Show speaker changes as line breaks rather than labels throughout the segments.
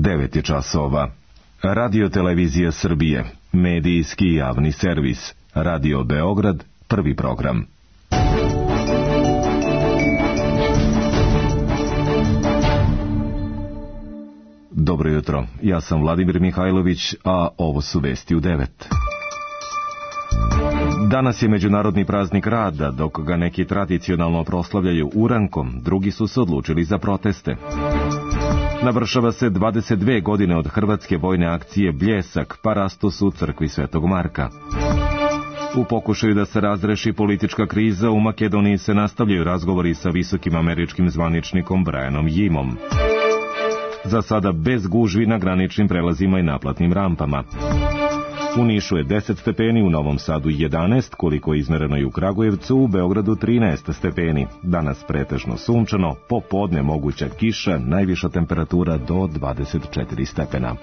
9 je časova. Radio Televizija Srbije, medijski javni servis, Radio Beograd, prvi program. Dobro jutro, ja sam Vladimir Mihajlović, a ovo su vesti u 9. Danas je Međunarodni praznik rada, dok ga neki tradicionalno proslavljaju urankom, drugi su se odlučili za proteste. Navršava se 22 godine od hrvatske vojne akcije Bljesak, parastos u crkvi Svetog Marka. U pokušaju da se razreši politička kriza, u Makedoniji se nastavljaju razgovori sa visokim američkim zvaničnikom Brianom Jimom. Za sada bez gužvi na graničnim prelazima i naplatnim rampama. U Nišu je 10 stepeni, u Novom Sadu 11, koliko je izmereno i u Kragujevcu, u Beogradu 13 stepeni. Danas pretežno sunčano, popodne moguća kiša, najviša temperatura do 24 stepena.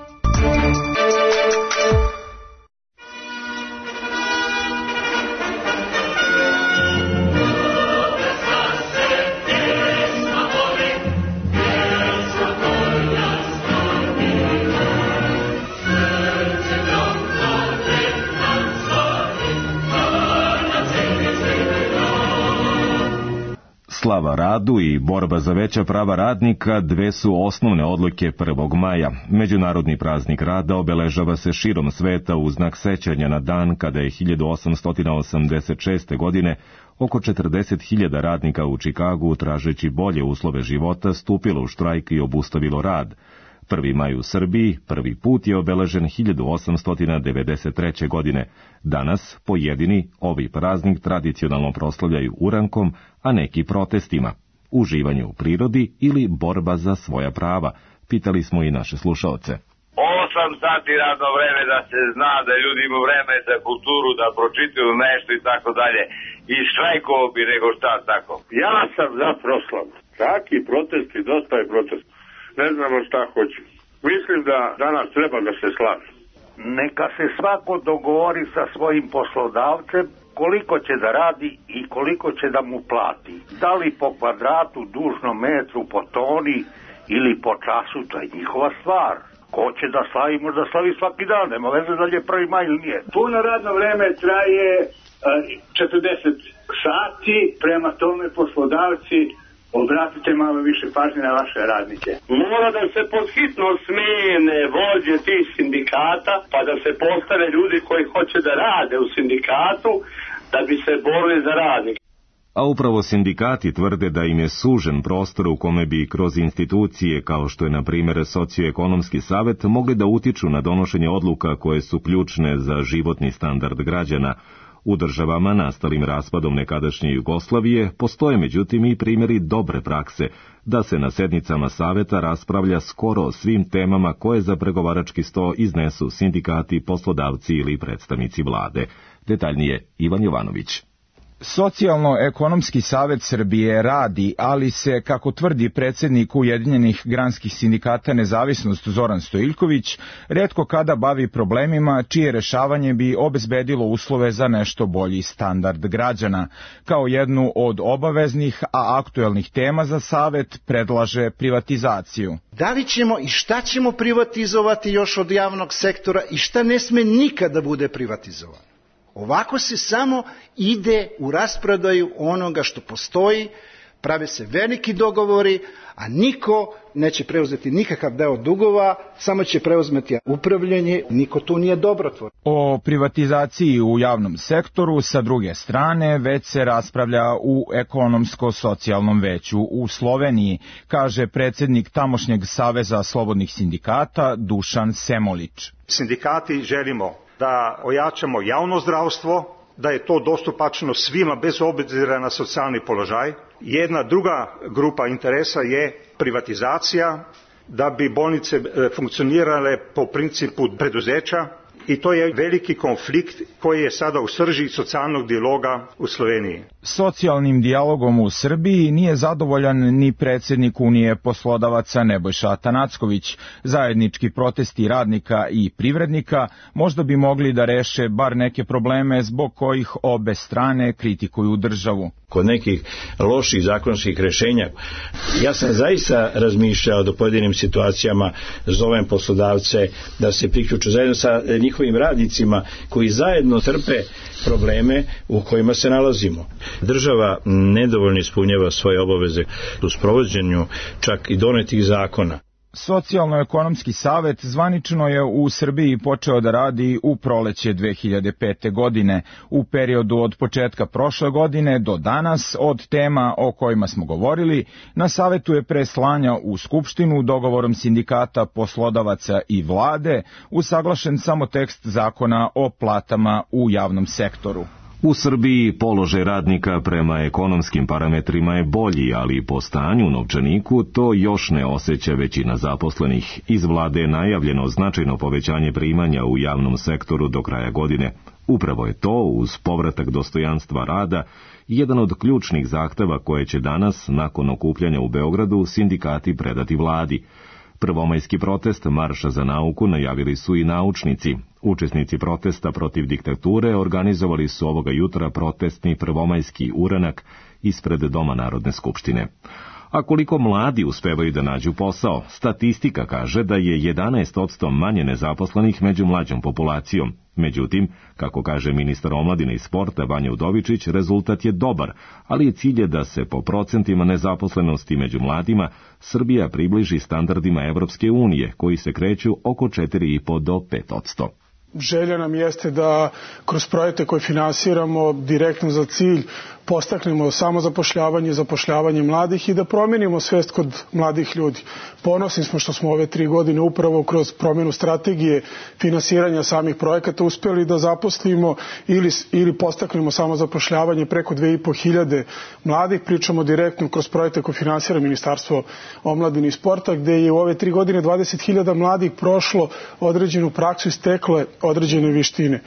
Slava radu i borba za veća prava radnika dve su osnovne odlike 1. maja. Međunarodni praznik rada obeležava se širom sveta u znak sećanja na dan kada je 1886. godine oko 40.000 radnika u Čikagu, tražeći bolje uslove života, stupilo u štrajk i obustavilo rad. 1. maj u Srbiji prvi put je obeležen 1893. godine. Danas pojedini ovi praznik tradicionalno proslavljaju urankom, a neki protestima, uživanje u prirodi ili borba za svoja prava. Pitali smo i naše slušaoce.
8 sati radno vreme, da se zna da ljudi imaju vreme za kulturu, da pročitaju nešto i tako dalje. I štrajkovo bi nego šta tako.
Ja sam za proslavu. Taki protesti, dosta je protest. Ne znamo šta hoću. Mislim da danas treba da se slaže.
Neka se svako dogovori sa svojim poslodavcem koliko će da radi i koliko će da mu plati. Da li po kvadratu, dužnom metru, po toni ili po času, to je njihova stvar. Ko će da slavi, možda slavi svaki dan, nema veze da je 1. maj ili nije.
Puno radno vreme traje 40 sati, prema tome poslodavci obratite malo više pažnje na vaše radnike.
Mora da se podhitno smene vođe tih sindikata, pa da se postave ljudi koji hoće da rade u sindikatu, da bi se borili za radnike.
A upravo sindikati tvrde da im je sužen prostor u kome bi kroz institucije, kao što je na primjer Socioekonomski savet, mogli da utiču na donošenje odluka koje su ključne za životni standard građana. U državama nastalim raspadom nekadašnje Jugoslavije postoje međutim i primjeri dobre prakse, da se na sednicama saveta raspravlja skoro o svim temama koje za pregovarački sto iznesu sindikati, poslodavci ili predstavnici vlade. Detaljnije Ivan Jovanović.
Socijalno-ekonomski savet Srbije radi, ali se, kako tvrdi predsjednik Ujedinjenih granskih sindikata Nezavisnost Zoran Stojiljković, retko kada bavi problemima čije rešavanje bi obezbedilo uslove za nešto bolji standard građana. Kao jednu od obaveznih, a aktuelnih tema za savet predlaže privatizaciju.
Da li ćemo i šta ćemo privatizovati još od javnog sektora i šta ne sme nikada bude privatizovano? Ovako se samo ide u rasprodaju onoga što postoji, prave se veliki dogovori, a niko neće preuzeti nikakav deo dugova, samo će preuzmeti upravljanje, niko tu nije dobrotvor.
O privatizaciji u javnom sektoru, sa druge strane, već se raspravlja u ekonomsko-socijalnom veću u Sloveniji, kaže predsjednik tamošnjeg Saveza slobodnih sindikata Dušan Semolić.
Sindikati želimo da ojačamo javno zdravstvo, da je to dostupačno svima bez obzira na socijalni položaj. Jedna druga grupa interesa je privatizacija, da bi bolnice funkcionirale po principu preduzeća, i to je veliki konflikt koji je sada u srži socijalnog dijaloga u Sloveniji.
Socijalnim dijalogom u Srbiji nije zadovoljan ni predsjednik Unije poslodavaca Nebojša Atanacković. Zajednički protesti radnika i privrednika možda bi mogli da reše bar neke probleme zbog kojih obe strane kritikuju državu.
Kod nekih loših zakonskih rješenja. Ja sam zaista razmišljao da u pojedinim situacijama zovem poslodavce da se priključu zajedno sa njihovim radnicima koji zajedno trpe probleme u kojima se nalazimo. Država nedovoljno ispunjava svoje obaveze u sprovođenju čak i donetih zakona.
Socijalno-ekonomski savet zvanično je u Srbiji počeo da radi u proleće 2005. godine. U periodu od početka prošle godine do danas, od tema o kojima smo govorili, na savetu je pre slanja u Skupštinu dogovorom sindikata, poslodavaca i vlade usaglašen samo tekst zakona o platama u javnom sektoru.
U Srbiji položaj radnika prema ekonomskim parametrima je bolji, ali po stanju u novčaniku to još ne osjeća većina zaposlenih. Iz vlade je najavljeno značajno povećanje primanja u javnom sektoru do kraja godine. Upravo je to, uz povratak dostojanstva rada, jedan od ključnih zahteva koje će danas, nakon okupljanja u Beogradu, sindikati predati vladi. Prvomajski protest Marša za nauku najavili su i naučnici. Učesnici protesta protiv diktature organizovali su ovoga jutra protestni prvomajski uranak ispred Doma Narodne skupštine. A koliko mladi uspevaju da nađu posao? Statistika kaže da je 11% manje nezaposlenih među mlađom populacijom. Međutim, kako kaže ministar omladine i sporta Vanja Udovičić, rezultat je dobar, ali cilj je da se po procentima nezaposlenosti među mladima Srbija približi standardima Evropske unije, koji se kreću oko 4,5 do 5%.
Želja nam jeste da kroz projekte koje finansiramo direktno za cilj postaknemo samozapošljavanje, zapošljavanje mladih i da promenimo svest kod mladih ljudi. Ponosni smo što smo ove 3 godine upravo kroz promjenu strategije finansiranja samih projekata uspjeli da zaposlimo ili postaknemo samozapošljavanje preko 2.500 mladih. Pričamo direktno kroz projekte koje finansira Ministarstvo omladine i sporta, gde je u ove 3 godine 20.000 mladih prošlo određenu praksu i stekle određene vještine.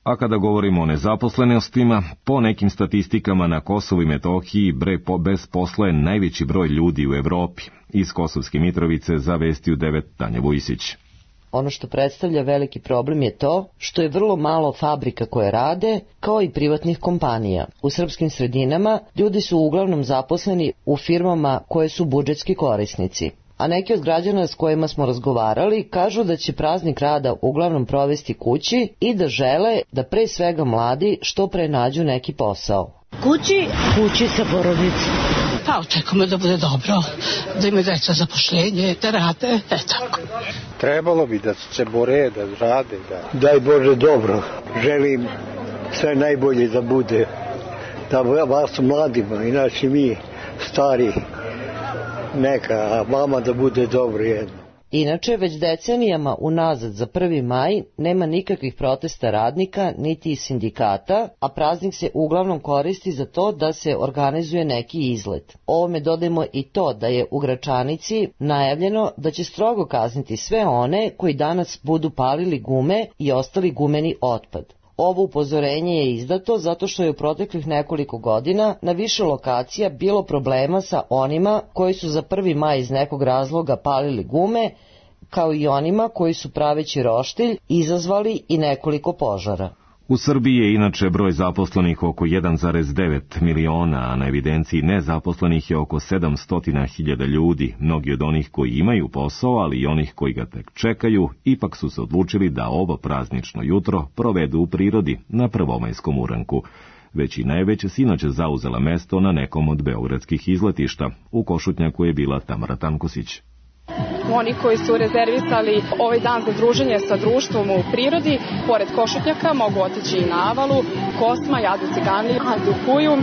A kada govorimo o nezaposlenostima, po nekim statistikama na Kosovu i Metohiji bez posla je najveći broj ljudi u Evropi. Iz Kosovske Mitrovice zavestio 9 Tanja Vujsić.
Ono što predstavlja veliki problem je to što je vrlo malo fabrika koje rade, kao i privatnih kompanija. U srpskim sredinama ljudi su uglavnom zaposleni u firmama koje su budžetski korisnici. A neki od građana s kojima smo razgovarali kažu da će praznik rada uglavnom provesti kući i da žele da pre svega mladi što pre nađu neki posao.
Kući sa porodicom. Pa očekujemo da bude dobro, da imaju deca zapošljenje, da rade, tako.
Trebalo bi da se bore, da rade, da. Daj Bože dobro, želim sve najbolje da bude, da vas mladima i naši mi stari neka, a vama da bude dobro jedno.
Inače, već decenijama unazad za 1. maj nema nikakvih protesta radnika, niti i sindikata, a praznik se uglavnom koristi za to da se organizuje neki izlet. Ovome dodajmo i to da je u Gračanici najavljeno da će strogo kazniti sve one koji danas budu palili gume i ostali gumeni otpad. Ovo upozorenje je izdato zato što je u proteklih nekoliko godina na više lokacija bilo problema sa onima koji su za 1. maj iz nekog razloga palili gume, kao i onima koji su praveći roštilj izazvali i nekoliko požara.
U Srbiji je inače broj zaposlenih oko 1,9 miliona, a na evidenciji nezaposlenih je oko 700.000 ljudi. Mnogi od onih koji imaju posao, ali i onih koji ga tek čekaju, ipak su se odlučili da ovo praznično jutro provedu u prirodi na prvomajskom uranku. Većina je već sinoć zauzela mesto na nekom od beogradskih izletišta. U Košutnjaku je bila Tamara Tankosić.
Oni koji su rezervisali ovaj dan za druženje sa društvom u prirodi, pored Košutnjaka mogu otići i na Avalu, Kosma, Jadu Ciganliju, Dukuju,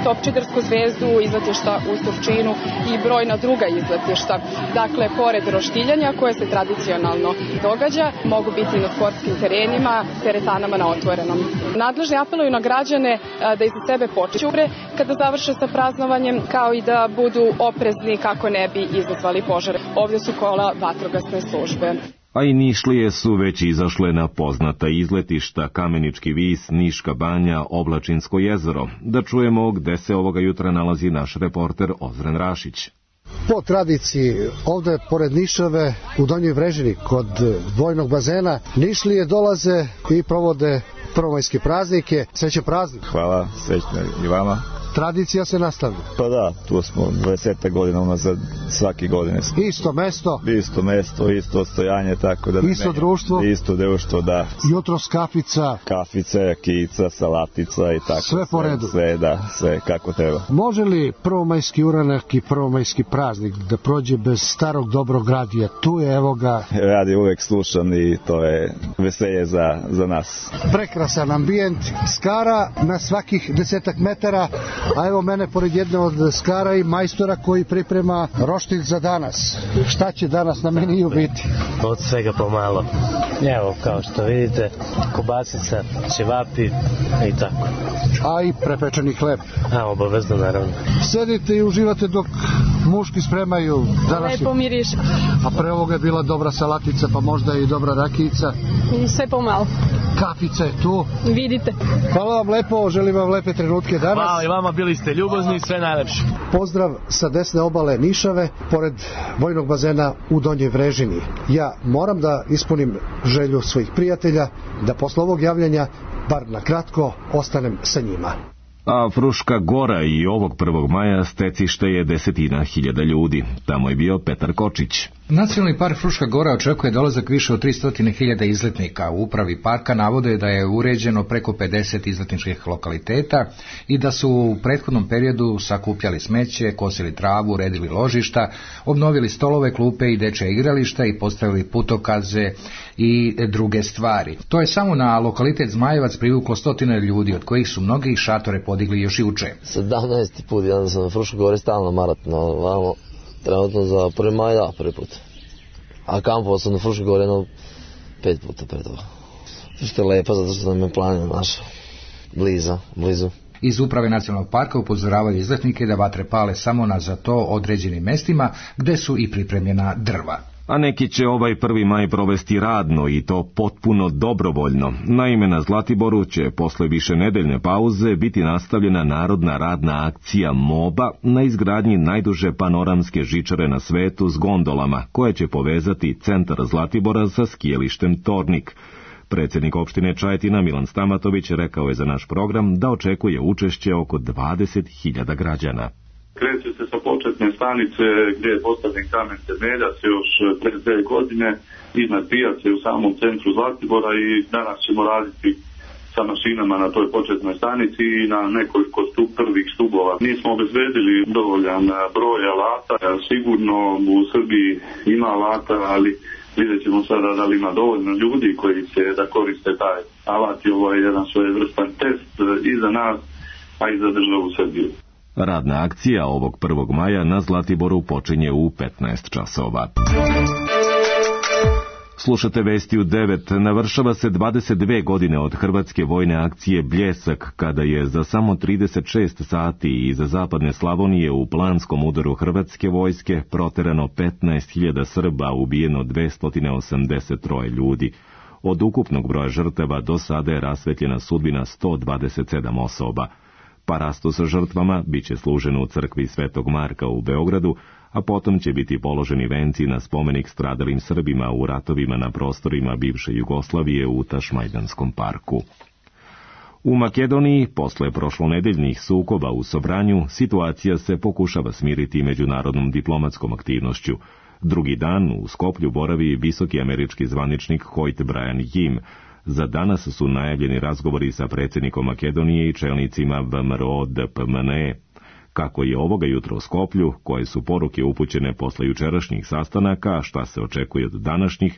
Topčidersku zvezdu, izletišta u Surčinu i brojna druga izletišta. Dakle, pored roštiljanja koje se tradicionalno događa, mogu biti na sportskim terenima, teretanama na otvorenom. Nadležni apeluju na građane da iza sebe počure kada završe sa praznovanjem, kao i da budu oprezni kako ne bi izazvali požare. Ovdje su kola vatrogasne službe.
A i Nišlije su već izašle na poznata izletišta Kamenički vis, Niška banja, Oblačinsko jezero. Da čujemo gde se ovoga jutra nalazi naš reporter Ozren Rašić.
Po tradiciji, ovde pored Nišave u Donjoj Vrežini kod vojnog bazena, Nišlije dolaze i provode prvomajske praznike. Srećan praznik.
Hvala, srećno i vama.
tradicija se nastavlja.
Pa da, tu smo 20 godina unazad, svake godine.
Isto mesto,
isto odstojanje, tako da...
Isto društvo,
da.
Jutros kafica,
jakica, salatica i tako.
Sve po redu.
Sve kako treba.
Može li prvomajski uranak i prvomajski praznik da prođe bez starog dobrog radija? Tu je, evo ga...
Radio uvek slušam i to je veselje za nas.
Prekrasan ambijent, skara na svakih 10 metara, a evo mene pored jedne od skara i majstora koji priprema roštilj za danas. Šta će danas na meniju biti?
Od svega pomalo. Evo, kao što vidite, kobasica, ćevapi i tako.
A i prepečeni hleb.
Obavezno, naravno.
Sedite i uživate dok muški spremaju današnji...
Lepo miriše.
A pre ovoga je bila dobra salatica, pa možda i dobra rakijica.
Sve pomalo.
Kafica je tu.
Vidite.
Hvala vam lepo, želim vam lepe trenutke danas.
Hvala i vama, bili ste ljubazni i sve najlepše.
Pozdrav sa desne obale Nišave, pored vojnog bazena u Donjoj Vrežini. Ja moram da ispunim želju svojih prijatelja, da posle ovog javljanja, bar na kratko, ostanem sa njima.
A Fruška Gora i ovog 1. maja stecište je 10.000 ljudi. Tamo je bio Petar Kočić.
Nacionalni park Fruška Gora očekuje dolazak više od 300.000 izletnika. U upravi parka navode da je uređeno preko 50 izletničkih lokaliteta i da su u prethodnom periodu sakupljali smeće, kosili travu, uredili ložišta, obnovili stolove, klupe i dečja igrališta i postavili putokaze i druge stvari. To je samo na lokalitet Zmajevac privuklo 100 ljudi, od kojih su mnogi šatore podigli još juče.
17. put, ja sam na Fruškoj Gori stalno maraton, vamo trenutno za 1. maj, prvi put. A kampovao sam na Fruškoj Gori 5 puta pre toga. Što je lepo, zato što nam je planina naša blizu.
Iz uprave nacionalnog parka upozoravaju izletnike da vatre pale samo na za to određenim mestima gde su i pripremljena drva.
A neki će ovaj 1. maj provesti radno i to potpuno dobrovoljno. Naime, na Zlatiboru će posle višenedeljne pauze biti nastavljena narodna radna akcija MOBA na izgradnji najduže panoramske žičare na svetu s gondolama, koja će povezati centar Zlatibora sa skijalištem Tornik. Predsjednik opštine Čajetina Milan Stamatović rekao je za naš program da očekuje učešće oko 20.000 građana.
Kreće se sa početne stanice gdje je postavljen kamen temeljac još pre 2 godine iznad pijace u samom centru Zlatibora i danas ćemo raditi sa mašinama na toj početnoj stanici i na nekoliko prvih stubova. Nismo obezbedili dovoljan broj alata, sigurno u Srbiji ima alata, ali vidjet ćemo sada da li ima dovoljno ljudi koji će da koriste taj alat i ovo je jedan svojevrstan test i za nas, a i za državu Srbiju.
Radna akcija ovog 1. maja na Zlatiboru počinje u 15 časova. Slušate vesti u 9. Navršava se 22 godine od hrvatske vojne akcije Bljesak, kada je za samo 36 sati iz zapadne Slavonije u planskom udaru hrvatske vojske proterano 15.000 Srba, ubijeno 283 ljudi. Od ukupnog broja žrtava do sada je rasvetljena sudbina 127 osoba. Parastu sa žrtvama bit će služeno u crkvi Svetog Marka u Beogradu, a potom će biti položeni venci na spomenik stradalim Srbima u ratovima na prostorima bivše Jugoslavije u Tašmajdanskom parku. U Makedoniji, posle prošlonedeljnih sukoba u Sobranju, situacija se pokušava smiriti međunarodnom diplomatskom aktivnošću. Drugi dan u Skoplju boravi visoki američki zvaničnik Hoyt Brian Jim. Za danas su najavljeni razgovori sa predsjednikom Makedonije i čelnicima VMRO DPMNE. Kako je ovoga jutra u Skoplju, koje su poruke upućene posle jučerašnjih sastanaka, a šta se očekuje od današnjih,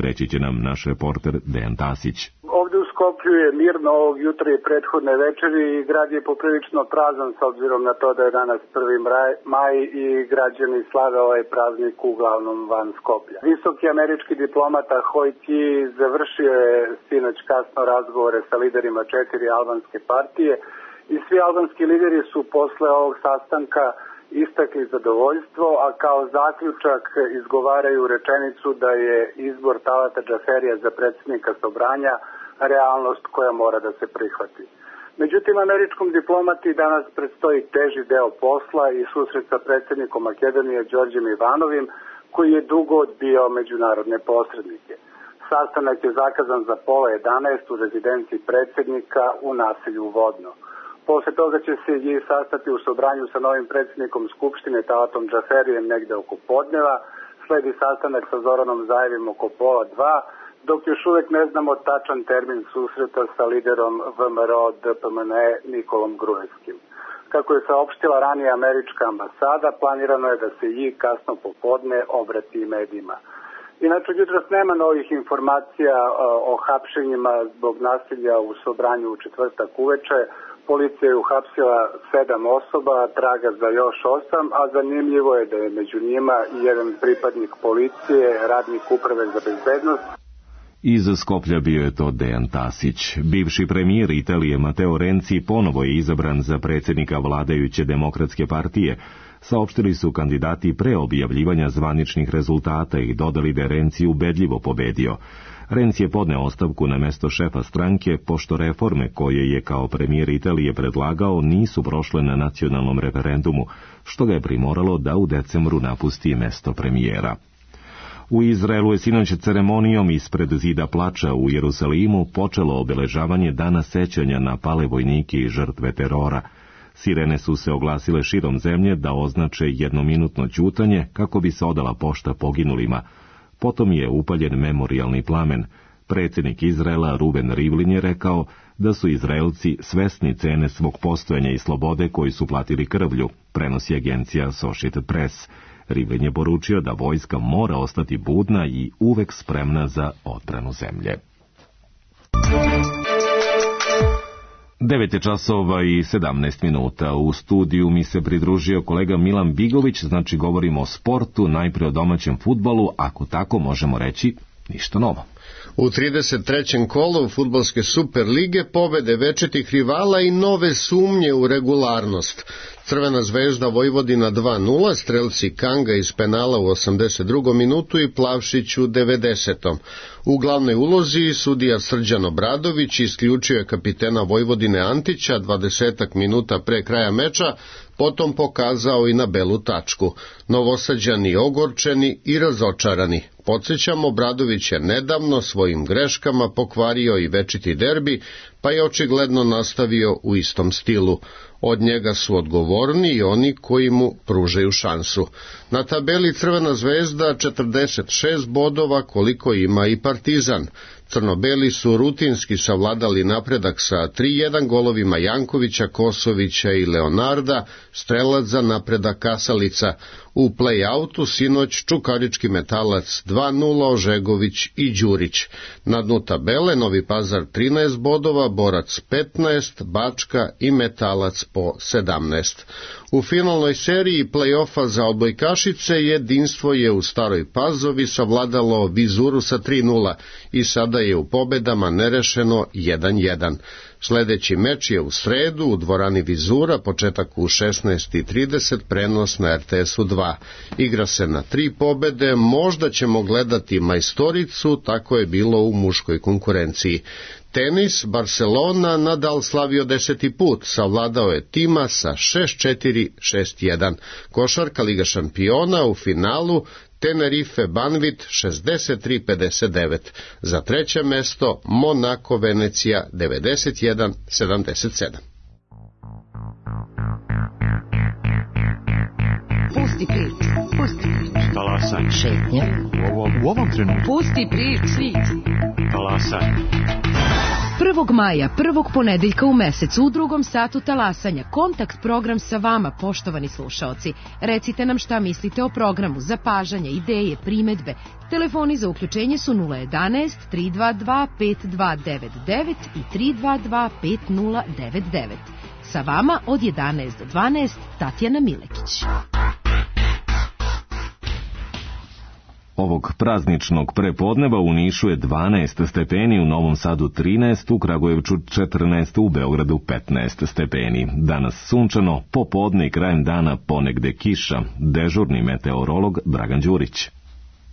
reći će nam naš reporter Dejan Tasić.
Ovdje u Skoplju je mirno ovog jutra i prethodne večeri i grad je poprilično prazan s obzirom na to da je danas 1. maj i građani slave ovaj praznik uglavnom van Skoplja. Visoki američki diplomata Hoyt završio je sinoć kasno razgovore sa liderima 4 albanske partije i svi albanski lideri su posle ovog sastanka istakli zadovoljstvo, a kao zaključak izgovaraju rečenicu da je izbor Talata Džaferija za predsjednika Sobranja realnost koja mora da se prihvati. Međutim, američkom diplomati danas predstoji teži deo posla i susret sa predsjednikom Makedonije Đorđem Ivanovim, koji je dugo odbio međunarodne posrednike. Sastanak je zakazan za 10:30 u rezidenciji predsjednika u naselju Vodno. Posle toga će se i sastati u Sobranju sa novim predsjednikom Skupštine Talatom Džaferijem negde oko podneva. Sledi sastanak sa Zoranom Zajevim oko pola 2, dok još uvek ne znamo tačan termin susreta sa liderom VMRO DPMNE Nikolom Gruevskim. Kako je saopštila ranije američka ambasada, planirano je da se i kasno popodne obrati medijima. Inače, jutros nema novih informacija o hapšenjima zbog nasilja u Sobranju u četvrtak uveče. Policija je uhapsila 7 osoba, traga za još 8, a zanimljivo je da je među njima i jedan pripadnik policije, radnik uprave za bezbednost.
Iz Skoplja bio je to Dejan Tasić. Bivši premijer Italije Matteo Renzi ponovo je izabran za predsjednika vladajuće Demokratske partije. Saopštili su kandidati pre objavljivanja zvaničnih rezultata i dodali da je Renzi ubedljivo pobedio. Renzi je podneo ostavku na mesto šefa stranke, pošto reforme koje je kao premijer Italije predlagao nisu prošle na nacionalnom referendumu, što ga je primoralo da u decembru napusti mesto premijera. U Izraelu je sinoć ceremonijom ispred zida plača u Jerusalimu počelo obeležavanje dana sećanja na pale vojnike i žrtve terora. Sirene su se oglasile širom zemlje da označe jednominutno ćutanje kako bi se odala pošta poginulima. Potom je upaljen memorijalni plamen. Predsjednik Izraela Ruben Rivlin je rekao da su Izraelci svesni cene svog postojanja i slobode koju su platili krvlju, prenosi agencija Associated Press. Rivlin je poručio da vojska mora ostati budna i uvek spremna za odbranu zemlje. 9 časova i 17 minuta. U studiju mi se pridružio kolega Milan Bigović, znači govorimo o sportu, najprije o domaćem fudbalu, ako tako možemo reći, ništa novo.
U 33. kolu fudbalske Super lige pobede večitih rivala i nove sumnje u regularnost. Crvena zvezda Vojvodina 2-0, strelci Kanga iz penala u 82. minutu i Plavšić u 90. U glavnoj ulozi sudija Srđan Obradović isključio je kapitena Vojvodine Antića 20 minuta pre kraja meča, potom pokazao i na belu tačku. Novosađani ogorčeni i razočarani. Podsjećamo, Obradović je nedavno svojim greškama pokvario i večiti derbi, pa je očigledno nastavio u istom stilu. Od njega su odgovorni i oni koji mu pružaju šansu. Na tabeli Crvena zvezda 46 bodova koliko ima i Partizan. Crnobeli su rutinski savladali napredak sa 3-1 golovima Jankovića, Kosovića i Leonarda, strelac za napredak Kasalica. U play-outu sinoć Čukarički Metalac 2-0, Ožegović i Đurić. Na dnu tabele Novi Pazar 13 bodova, Borac 15, Bačka i Metalac po 17. U finalnoj seriji play-offa za odbojkašice jedinstvo je u Staroj Pazovi savladalo Vizuru sa 3-0 i sada je u pobedama nerešeno 1-1. Sljedeći meč je u sredu u dvorani Vizura, početak u 16:30, prenos na RTS-u 2. Igra se na 3 pobede, možda ćemo gledati majstoricu, tako je bilo u muškoj konkurenciji. Tenis, Barcelona, Nadal slavio 10. put, savladao je tima sa 6-4, 6-1. Košarka Liga šampiona u finalu, Tenerife Banvit 63-59. Za treće mesto Monako Venecija 91-77.
Pusti priču, pusti priču.
Talasaj.
Šetnja.
U ovom trenutku.
Pusti priču.
Talasaj.
1. maja, prvog ponedeljka u mesecu, u 2. satu talasanja, kontakt program sa vama, poštovani slušaoci. Recite nam šta mislite o programu, zapažanja, ideje, primedbe. Telefoni za uključenje su 011 322 5299 i 322 5099. Sa vama od 11 do 12, Tatjana Milekić.
Ovog prazničnog prepodneva u Nišu je 12 stepeni, u Novom Sadu 13, u Kragujevcu 14, u Beogradu 15 stepeni. Danas sunčano, popodne i krajem dana ponegde kiša. Dežurni meteorolog Dragan Đurić.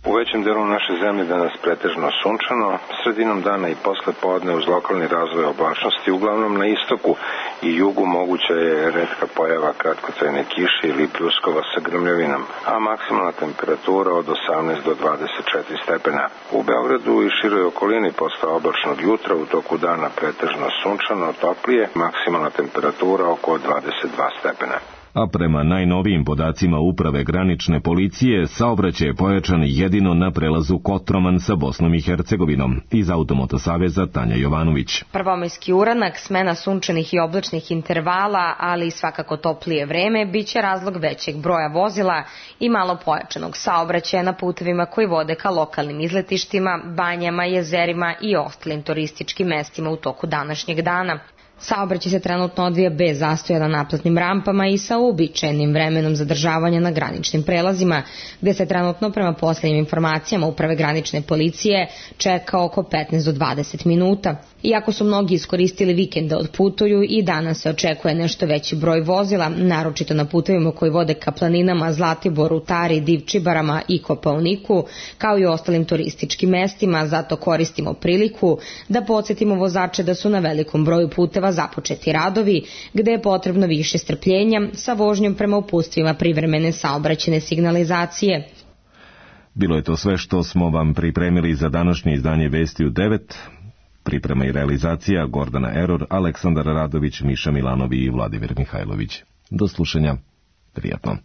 U većem delu naše zemlje danas pretežno sunčano, sredinom dana i posle podne uz lokalni razvoj oblačnosti, uglavnom na istoku i jugu moguća je retka pojava kratkotrajne kiše ili pljuskova sa grmljavinom, a maksimalna temperatura od 18 do 24 stepena. U Beogradu i široj okolini posle oblačnog jutra u toku dana pretežno sunčano, toplije, maksimalna temperatura oko 22 stepena.
A prema najnovijim podacima Uprave granične policije, saobraćaj je pojačan jedino na prelazu Kotroman sa Bosnom i Hercegovinom. Iz Automotosaveza Tanja Jovanović.
Prvomajski uranak, smena sunčanih i oblačnih intervala, ali i svakako toplije vreme, biće razlog većeg broja vozila i malo pojačanog saobraćaja na putevima koji vode ka lokalnim izletištima, banjama, jezerima i ostalim turističkim mestima u toku današnjeg dana. Saobraćaj se trenutno odvija bez zastoja na naplatnim rampama i sa uobičajenim vremenom zadržavanja na graničnim prelazima, gde se trenutno prema poslednjim informacijama Uprave granične policije čeka oko 15 do 20 minuta. Iako su mnogi iskoristili vikend da odputuju, i danas se očekuje nešto veći broj vozila, naročito na putevima koji vode ka planinama Zlatiboru, Tari, Divčibarama i Kopaoniku, kao i ostalim turističkim mestima, zato koristimo priliku da podsjetimo vozače da su na velikom broju puteva započeti radovi, gde je potrebno više strpljenja sa vožnjom prema uputstvima privremene saobraćajne signalizacije.
Bilo je to sve što smo vam pripremili za današnje izdanje Vesti u 9. Priprema i realizacija Gordana Eror, Aleksandar Radović, Miša Milanovi i Vladimir Mihajlović. Do slušanja. Prijatno.